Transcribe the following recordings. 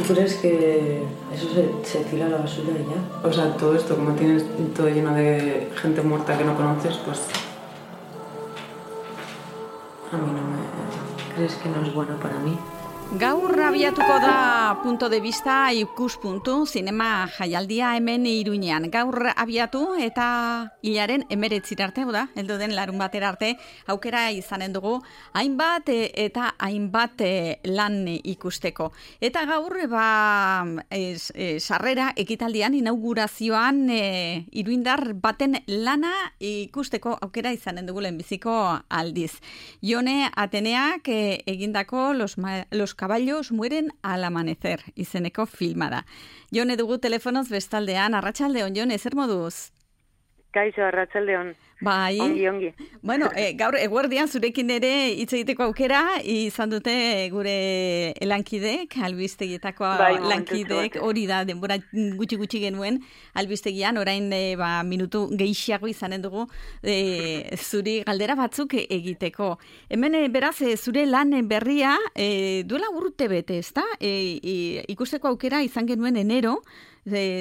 crees que eso se tira a la basura y ya? O sea, todo esto, como tienes todo lleno de gente muerta que no conoces, pues a mí no me... ¿Crees que no es bueno para mí? Gaur abiatuko da punto de vista ikuspuntu zinema jaialdia hemen Iruñean. Gaur abiatu eta hilaren 19 arte, da, heldu den larun batera arte, aukera izanen dugu hainbat eta hainbat lan ikusteko. Eta gaur sarrera ekitaldian inaugurazioan iruindar baten lana ikusteko aukera izanen dugu lehenbiziko aldiz. Jone Ateneak egindako los caballos mueren al amanecer, izeneko filma da. Jone dugu telefonoz bestaldean, arratsaldeon Jone, zer moduz? Kaixo, arratsaldeon. Bai. Ongi. Bueno, gaur eguerdian zurekin ere hitz egiteko aukera izan dute gure lankideek, albistegietako lankideek, hori da denbora gutxi genuen albistegian, orain minutu gehiago izanen dugu zuri galdera batzuk egiteko. Hemen beraz zure lan berria duela urte bete, ezta? Ikusteko aukera izan genuen enero,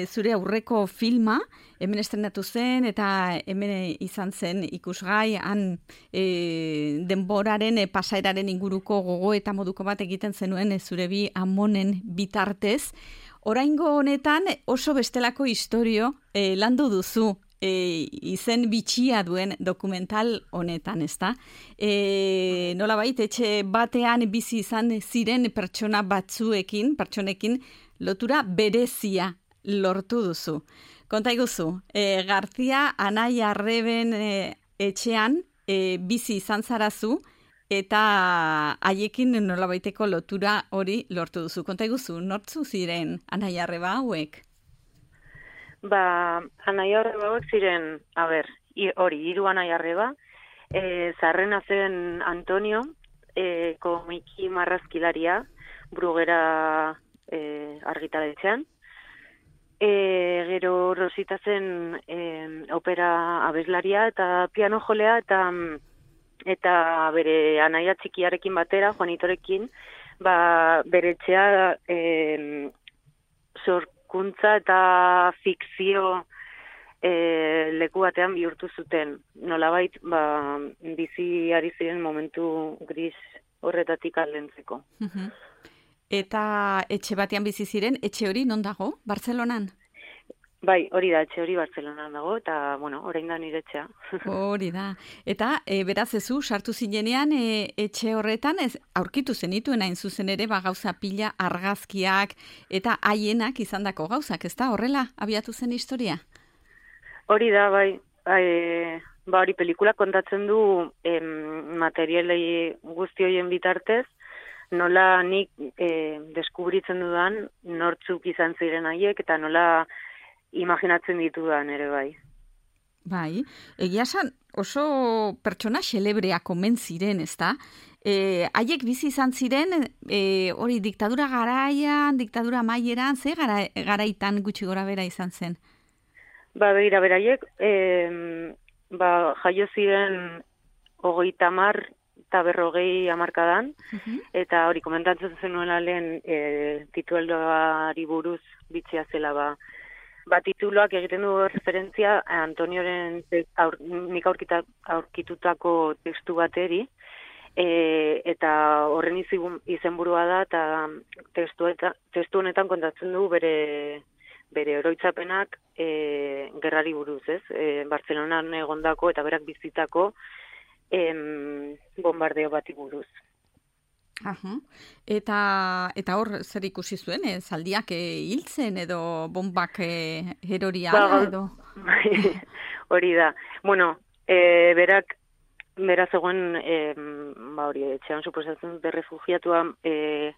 zure aurreko filma, hemen estrenatu zen eta hemen izan zen ikusgai, han denboraren pasaeraren inguruko gogo eta moduko bat egiten zenuen zure bi amonen bitartez. Oraingo honetan oso bestelako istorio landu duzu, izen bitxia duen dokumental honetan, ezta? Nolabait, etxe batean bizi izan ziren pertsonekin lotura berezia lortu duzu. Konta iguzu, Garzia Anai Arreben etxean bizi izan zarazu eta haiekin nolabaiteko lotura hori lortu duzu. Konta iguzu, nortzu ziren Anai Arreba hauek? Anai Arreba hauek ziren, hiru Anai Arreba, Zarrena zen Antonio, komiki marrazkilaria, Brugera argitaletxean. Gero Rosita zen opera abeslaria eta piano jolea eta bere anaia txikiarekin batera, Juanitorekin, bere etxea sorkuntza eta fikzio leku batean bihurtu zuten. Nolabait, bizi ari ziren momentu gris horretatik aldentzeko. Eta etxe batean bizi ziren, etxe hori non dago? Bartzelonan? Bai, hori da, etxe hori Bartzelonan dago, eta, orain da nire etxea. Hori da. Eta, beraz ezu, sartu zinenean, etxe horretan, aurkitu zenituen hain zuzen ere, gauza pila, argazkiak, eta haienak izandako gauzak, ez da? Horrela, abiatu zen historia? Hori da, bai. Hori pelikula kontatzen du materialei guzti horien bitartez, nola nik deskubritzen dudan nortzuk izan ziren haiek eta nola imaginatzen ditudan ere bai. Bai, egia esan oso pertsona xelebreak omen ziren, ezta? Haiek bizi izan ziren hori diktadura garaian, diktadura amaieran, ze garaitan gutxi gora bera izan zen? Begira, beraiek jaio ziren 30 eta 40 hamarkadan, eta hori komentatzen zenuela lehen tituloari buruz bitxia zela tituloak egiten du referentzia Antonioren nik aurkitutako testu bateri, eta horren izenburua da, eta testu honetan kontatzen du bere oroitzapenak gerrari buruz, ez? Bartzelonan egondako eta berak bizitako bombardeo bati buruz. Eta hor zer ikusi zuen, zaldiak hiltzen edo bombak eroria edo? Hori da. Berak zegoen etxean suposatzen dute refugiatua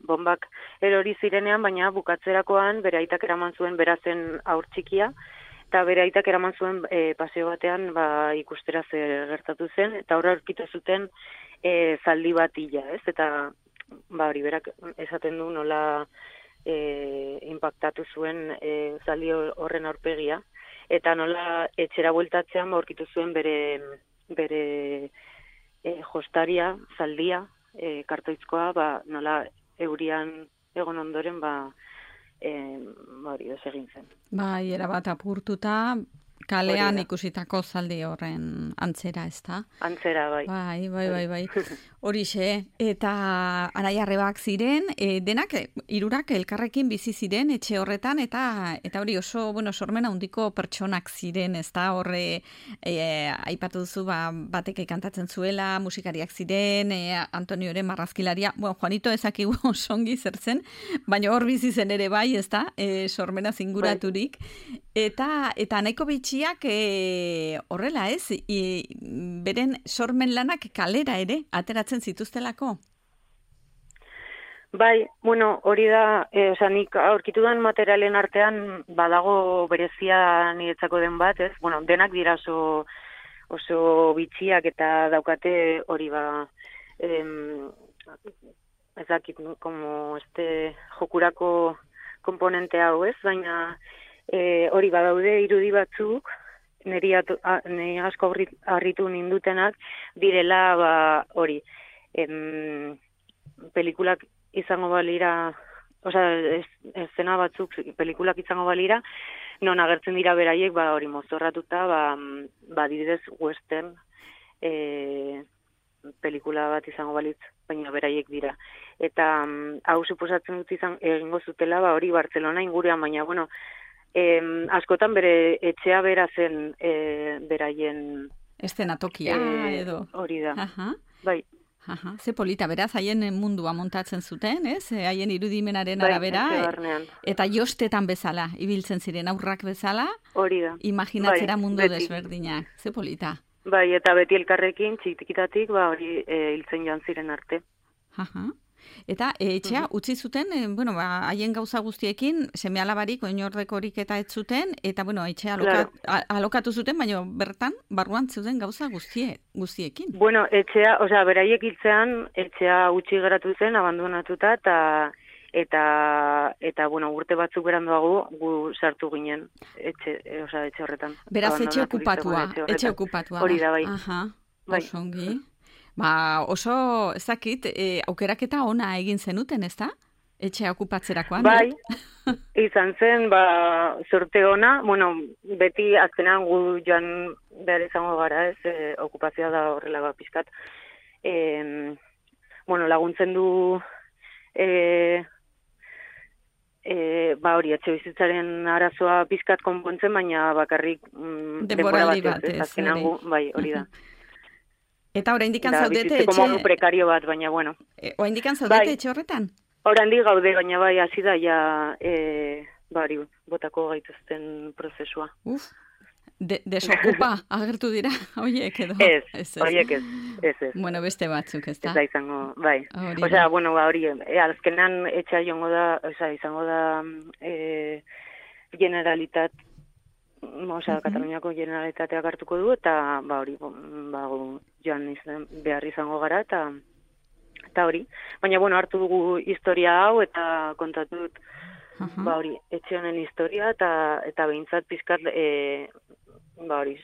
bombak erori zirenean, baina bukatzerakoan bere aitak eraman zuen berazen aur txikia, eta bere aitak eraman zuen paseo batean ikustera zer gertatu zen, eta horra aurkitu zuten zaldi bat hila, ez? Eta hori berak esaten du nola impactatu zuen zaldi horren aurpegia, eta nola etxera bueltatzean aurkitu zuen bere jostaria, zaldia, kartoizkoa, nola eurian egon ondoren hori desegin zen. Bai, erabat apurtuta, kalean ikusitako zaldi horren antzera, ez da? Antzera, bai. Bai. Horixe, eta anaiarrebak ziren, denak, hirurak elkarrekin bizi ziren etxe horretan, eta hori oso, sormen handiko pertsonak ziren, ez da? Horre, aipatu duzu, batek kantatzen zuela, musikariak ziren, Antonioren marrazkilaria, Juanito ezakigu osongi zertzen, baina hor bizi zen ere bai, ez da? Sormena zinguraturik. Eta nahiko bitxiak horrela ez, beren sormen lanak kalera ere ateratzen zituztelako? Bai, hori da, nik aurkitu den materialen artean badago berezia niretzako den bat, ez? Denak dira oso bitxiak eta daukate hori ez dakit, como jokurako komponente hau, ez? Baina hori badaude irudi batzuk, niri asko harritu nindutenak, direla hori, pelikulak izango balira, eszena batzuk pelikulak izango balira, non agertzen dira beraiek, hori mozorratuta, adibidez western pelikula bat izango balitz, baina beraiek dira. Eta hau suposatzen dut egingo zutela, hori Bartzelona inguruan, baina, askotan bere etxea bera zen beraien eszenatokia edo. Hori da. Aha. Bai. Aha, ze polita, beraz, haien mundua montatzen zuten, ez? Haien irudimenaren arabera, eta jostetan bezala, ibiltzen ziren aurrak bezala, hori da. Imaginatzera mundu desberdinak, ze polita. Bai, eta beti elkarrekin, txikitatik, hori hiltzen joan ziren arte. Aha. Eta etxea utzi zuten, haien gauza guztiekin, seme-alabarik, oinordekorik eta ez zuten, eta, etxea alokatu zuten, baina bertan, barruan zuten gauza guztiekin. Etxea, beraiek hiltzean, etxea utzi geratu zen, abandonatuta, eta urte batzuk beranduago, gu sartu ginen, etxe horretan. Beraz, etxe okupatua. Hori da, bai. Aha, osongi. Oso, ezakit, aukeraketa ona egin zenuten, ez da? Etxea okupatzerakoan. Bai, izan zen, zorte ona, beti azkenan gu joan behar izango gara, ez, okupazioa da horrela pizkat. Laguntzen du, hori, etxe bizitzaren arazoa pizkat konpontzen, baina bakarrik denboraldi bat, ez, azkenan gu, bai, hori da. Eta oraindik zaudete etxe... Como prekario bat, baina, oraindik zaudete etxe horretan? Oraindik gaude, baina bai, hasi da, botako gaituzten prozesua. Desokupa agertu dira, horiek edo? Ez, horiek ez. Beste batzuk, ez da? Ez da izango, bai. Hori, azkenan etxea izango da Generalitat, Kataluniako Generalitateak hartuko du, eta hori, joan behar izango gara, eta hori. Baina, hartu dugu historia hau, eta kontatu dut, hori, etxe honen historia, eta behintzat pizkat, hori,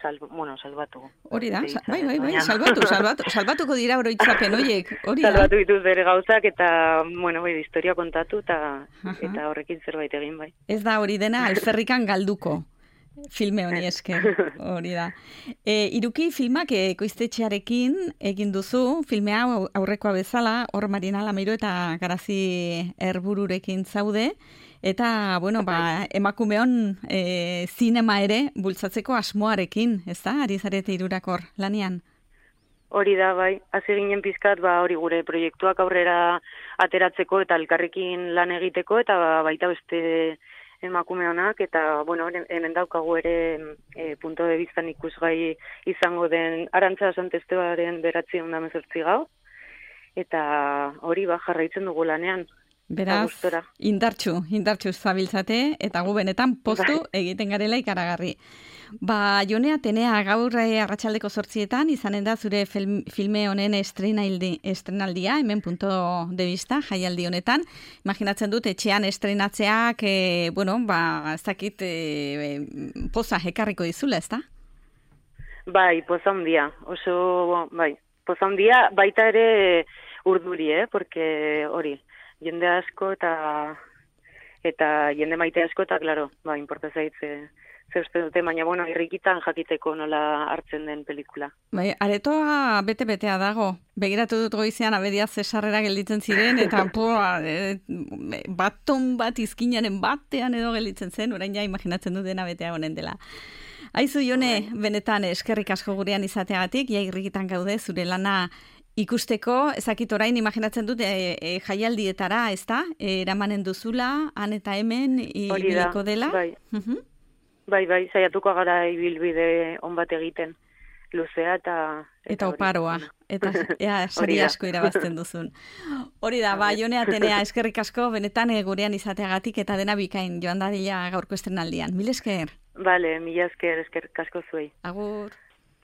salbatu. Hori da, bai, salbatuko dira oroitzapen horiek, hori da. Salbatu dituz bere gauzak, eta, historia kontatu, eta horrekin zerbait egin, bai. Ez da hori dena alferrikan galduko, filme honi esker, hori da. Iruki filmak ekoiztetxearekin egin duzu, filme hau aurrekoa bezala, hor Marina Lamiro eta Garazi Erbururekin zaude, eta, emakumeon zinema ere bultzatzeko asmoarekin, ez da, ari zarete hirurakor lanean? Hori da, bai, hasi ginen pizkat, hori gure proiektuak aurrera ateratzeko eta elkarrekin lan egiteko, eta baita beste emakumeonak, eta, hemen daukagu ere punto de vista ikusgai izango den Arantza Santestebaren 918 gau, eta hori jarraitzen dugu lanean. Beraz, indartxu zabiltzate, eta gu benetan postu egiten garela ikaragarri. Jone Atenea, gaur arratsaldeko 8:00 izanen da zure filme honen estrenaldia, hemen punto de vista, jaialdi honetan. Imaginatzen dut, etxean estrenatzeak, ez dakit, poza ekarriko dizula, ez da? Bai, poza handia, poza handia, baita ere urduri, porque hori, jende asko eta eta jende maite asko, eta, klaro, inporta zait, ze uste dute, baina, bueno, irrikitan jakiteko nola hartzen den pelikula. Bai, aretoa bete-betea dago. Begiratu dut goizean abedia zesarrera gelditzen ziren, eta baton bat izkinaren batean edo gelditzen zen, orain ja imaginatzen dut dena betea honen dela. Aizu, Jone, benetan eskerrik asko gurean izateagatik, ja irrikitan gaude, zure lana ikusteko, ezakit orain imaginatzen dut jaialdietara, ez da? Eramanen duzula, han eta hemen, ibiliko dela. Bai, saiatuko gara ibilbide on bat egiten, luzea eta oparoa, eta sari asko irabazten duzun. Hori da, Jone Atenea, eskerrik asko, benetan gurean izateagatik eta dena bikain joan dadila gaurko estrenaldian. Mil esker? Bale, mila esker asko zuei. Agur.